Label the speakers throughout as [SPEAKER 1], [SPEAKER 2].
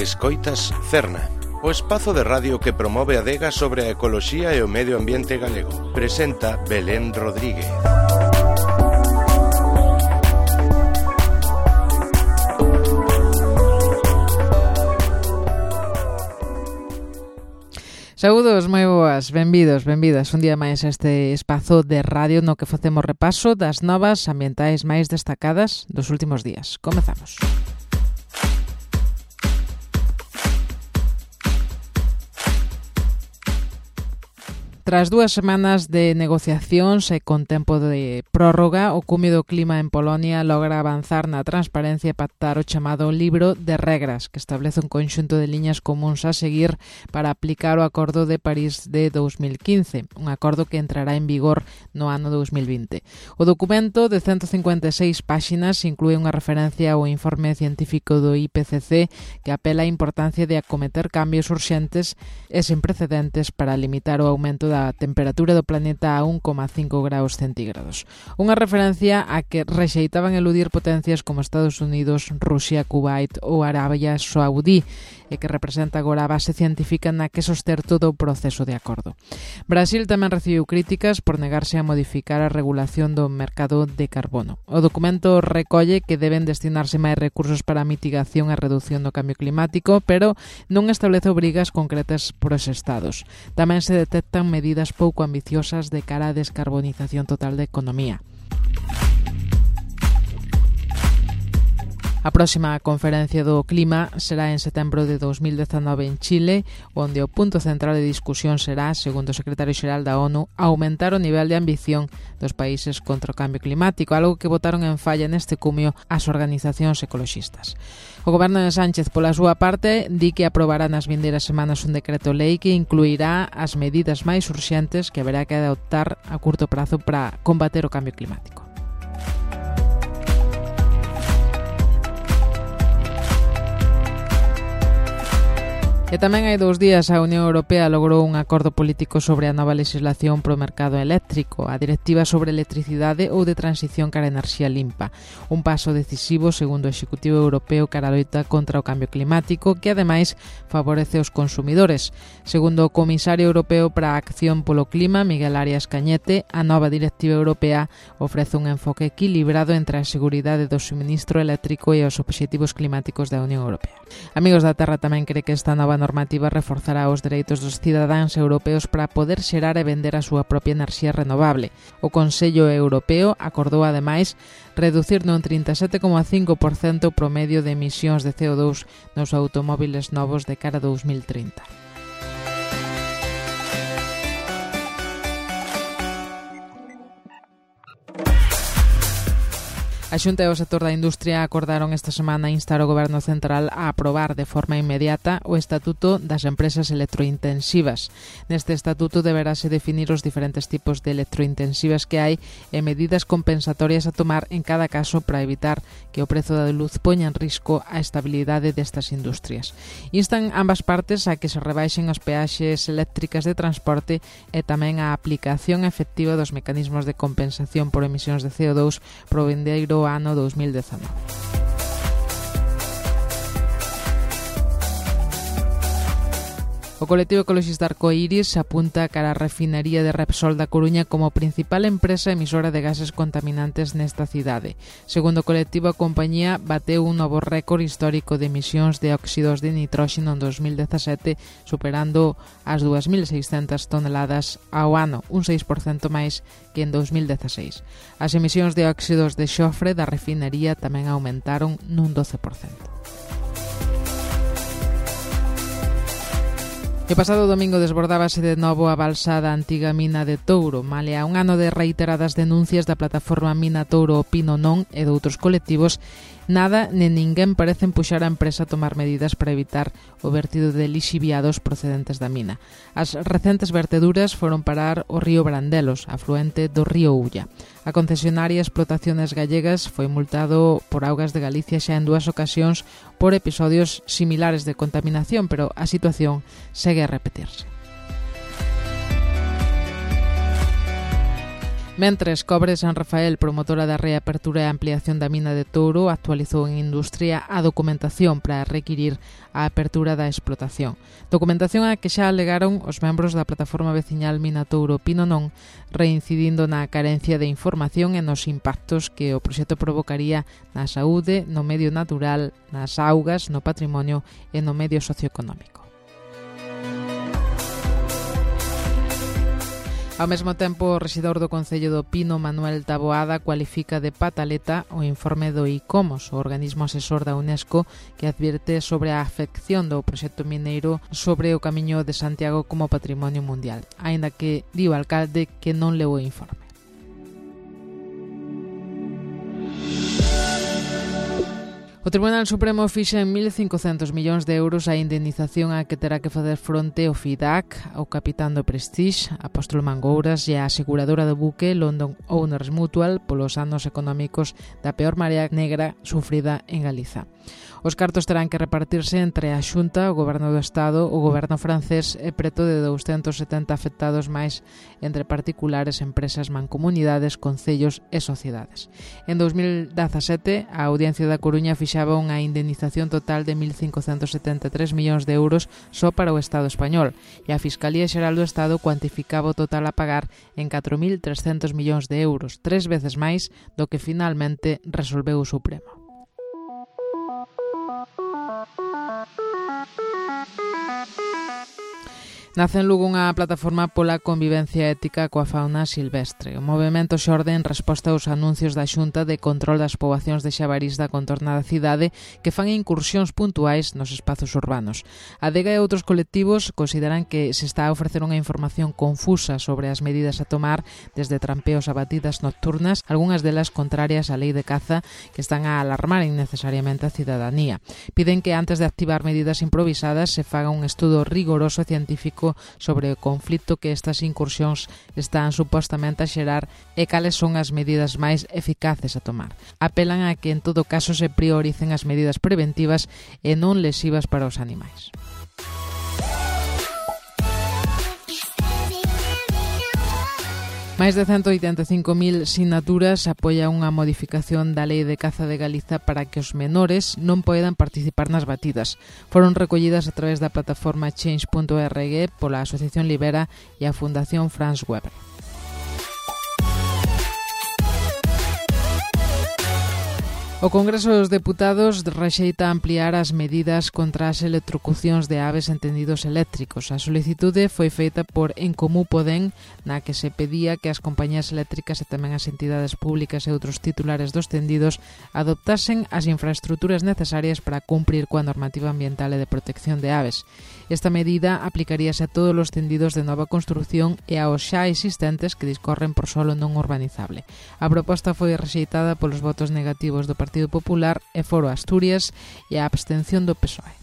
[SPEAKER 1] Escoitas Cerna, o espazo de radio que promove a adega sobre a ecoloxía e o medio ambiente galego. Presenta Belén Rodríguez.
[SPEAKER 2] Saúdos, moi boas, benvidos, benvidas un día máis a este espazo de radio no que facemos repaso das novas ambientais máis destacadas dos últimos días. Comezamos. Tras 2 semanas de negociacións e con tempo de prórroga, o Cumio do Clima en Polonia logra avanzar na transparencia e pactar o chamado Libro de Regras, que establece un conxunto de liñas comuns a seguir para aplicar o Acordo de París de 2015, un acordo que entrará en vigor no ano 2020. O documento de 156 páxinas inclúe unha referencia ao informe científico do IPCC que apela á importancia de acometer cambios urxentes e sen precedentes para limitar o aumento da temperatura do planeta a 1,5 graus centígrados. Unha referencia a que rexeitaban eludir potencias como Estados Unidos, Rusia, Kuwait ou Arabia Saudí, e que representa agora a base científica na que soster todo o proceso de acordo. Brasil tamén recibiu críticas por negarse a modificar a regulación do mercado de carbono. O documento recolle que deben destinarse máis recursos para a mitigación e reducción do cambio climático, pero non establece obrigas concretas por os estados. Tamén se detectan medidas pouco ambiciosas de cara á descarbonización total da economía. A próxima conferencia do clima será en setembro de 2019 en Chile, onde o punto central de discusión será, segundo o secretario xeral da ONU, aumentar o nivel de ambición dos países contra o cambio climático, algo que botaron en falla neste cumio as organizacións ecoloxistas. O goberno de Sánchez, pola súa parte, di que aprobará nas vindeiras semanas un decreto lei que incluirá as medidas máis urxentes que haberá que adoptar a curto prazo para combater o cambio climático. E tamén hai 2 días a Unión Europea logrou un acordo político sobre a nova legislación pro mercado eléctrico, a Directiva sobre Electricidade ou de Transición cara a Enerxía Limpa, un paso decisivo segundo o Executivo Europeo cara a loita contra o cambio climático que ademais favorece os consumidores. Segundo o Comisario Europeo para a Acción polo Clima, Miguel Arias Cañete, a nova Directiva Europea ofrece un enfoque equilibrado entre a seguridade do suministro eléctrico e os obxectivos climáticos da Unión Europea. Amigos da Terra tamén cree que esta nova normativa reforzará os dereitos dos cidadáns europeos para poder xerar e vender a súa propia enerxía renovable. O Consello Europeo acordou, ademais, reducir nun 37,5% o promedio de emisións de CO2 nos automóbiles novos de cara a 2030. A Xunta e o sector da industria acordaron esta semana instar o Goberno Central a aprobar de forma inmediata o Estatuto das Empresas Electrointensivas. Neste estatuto deberase definir os diferentes tipos de electrointensivas que hai e medidas compensatorias a tomar en cada caso para evitar que o prezo da luz poña en risco a estabilidade destas industrias. Instan ambas partes a que se rebaixen as peaxes eléctricas de transporte e tamén a aplicación efectiva dos mecanismos de compensación por emisións de CO2 pro vindeiro ano 2019. O colectivo ecoloxista Arcoiris apunta cara a refinería de Repsol da Coruña como principal empresa emisora de gases contaminantes nesta cidade. Segundo o colectivo, a compañía bateu un novo récord histórico de emisións de óxidos de nitróxeno en 2017, superando as 2.600 toneladas ao ano, un 6% máis que en 2016. As emisións de óxidos de xofre da refinería tamén aumentaron nun 12%. O pasado domingo desbordábase de novo a balsa da antiga mina de Touro, malia un ano de reiteradas denuncias da plataforma Mina Touro Opino Non e de outros colectivos. Nada nen ninguén parecen puxar a empresa a tomar medidas para evitar o vertido de lixiviados procedentes da mina. As recentes verteduras foron parar o río Brandelos, afluente do río Ulla. A concesionaria Explotaciones Gallegas foi multado por Augas de Galicia xa en 2 ocasións por episodios similares de contaminación, pero a situación segue a repetirse. Mentres, Cobre San Rafael, promotora da reapertura e ampliación da mina de Touro, actualizou en Industria a documentación para requirir a apertura da explotación. Documentación a que xa alegaron os membros da plataforma veciñal Mina Touro Pino Non, reincidindo na carencia de información e nos impactos que o proxecto provocaría na saúde, no medio natural, nas augas, no patrimonio e no medio socioeconómico. Ao mesmo tempo, o rexedor do Concello do Pino, Manuel Taboada, cualifica de pataleta o informe do ICOMOS, o organismo asesor da UNESCO, que advierte sobre a afección do proxecto mineiro sobre o Camiño de Santiago como patrimonio mundial, aínda que di o alcalde que non leu o informe. O Tribunal Supremo fixa en 1.500 millóns de euros a indemnización a que terá que facer fronte o FIDAC, o capitán do Prestige, Apóstolo Mangouras e a aseguradora do buque London Owners Mutual polos anos económicos da peor marea negra sufrida en Galiza. Os cartos terán que repartirse entre a Xunta, o Goberno do Estado, o Goberno francés e preto de 270 afectados máis entre particulares, empresas, mancomunidades, concellos e sociedades. En 2017, a Audiencia da Coruña fixaba unha indemnización total de 1.573 millóns de euros só para o Estado español e a Fiscalía Xeral do Estado cuantificaba o total a pagar en 4.300 millóns de euros, 3 veces máis do que finalmente resolveu o Supremo. Nace en Lugo unha plataforma pola convivencia ética coa fauna silvestre. O movemento xorde en resposta aos anuncios da Xunta de control das poboacións de xabarís da contorna da cidade que fan incursións puntuais nos espazos urbanos. A Adega e outros colectivos consideran que se está a ofrecer unha información confusa sobre as medidas a tomar, desde trampeos a batidas nocturnas, algunhas delas contrarias á lei de caza, que están a alarmar innecesariamente a cidadanía. Piden que antes de activar medidas improvisadas se faga un estudo rigoroso e científico sobre o conflito que estas incursións están supostamente a xerar e cales son as medidas máis eficaces a tomar. Apelan a que en todo caso se prioricen as medidas preventivas e non lesivas para os animais. Máis de 185.000 sinaturas apoia unha modificación da Lei de Caza de Galiza para que os menores non poidan participar nas batidas. Foron recollidas a través da plataforma Change.org pola Asociación Libera e a Fundación Franz Weber. O Congreso dos Deputados rexeita ampliar as medidas contra as electrocucións de aves en tendidos eléctricos. A solicitude foi feita por En Comú Podem, na que se pedía que as compañías eléctricas e tamén as entidades públicas e outros titulares dos tendidos adoptasen as infraestruturas necesarias para cumprir coa normativa ambiental e de protección de aves. Esta medida aplicaríase a todos os tendidos de nova construción e aos xa existentes que discorren por solo non urbanizable. A proposta foi rexeitada polos votos negativos do Partido Popular e Foro Asturias e a abstención do PSOE.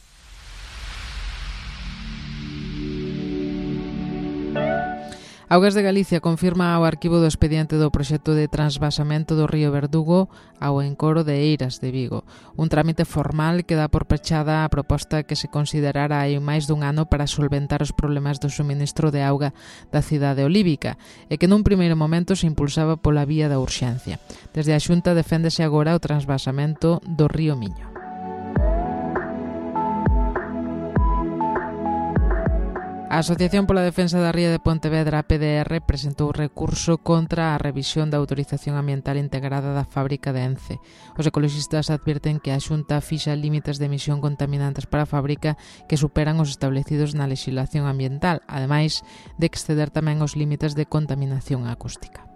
[SPEAKER 2] Augas de Galicia confirma ao arquivo do expediente do proxecto de transvasamento do río Verdugo ao encoro de Eiras de Vigo. Un trámite formal que dá por pechada a proposta que se considerara hai máis dun ano para solventar os problemas do suministro de auga da cidade olívica e que nun primeiro momento se impulsaba pola vía da urxencia. Desde a Xunta deféndese agora o transvasamento do río Miño. A Asociación pola Defensa da Ría de Pontevedra, a PDR, presentou recurso contra a revisión da autorización ambiental integrada da fábrica de Ence. Os ecoloxistas advirten que a Xunta fixa límites de emisión contaminantes para a fábrica que superan os establecidos na lexislación ambiental, ademais de exceder tamén os límites de contaminación acústica.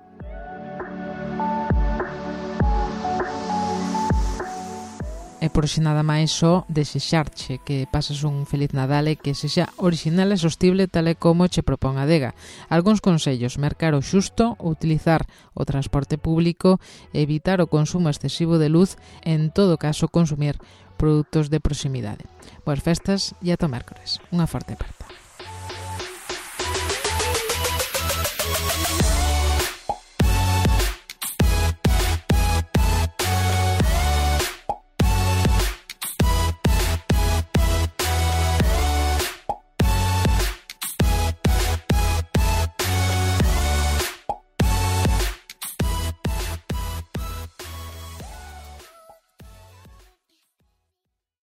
[SPEAKER 2] E por xe nada máis só desexarche que pases un feliz Nadal e que sexa orixinal e sostible tal e como che propón a Adega. Algúns consellos: mercar o xusto, utilizar o transporte público, evitar o consumo excesivo de luz e, en todo caso, consumir produtos de proximidade. Boas festas e ata o mércores. Unha forte aperta.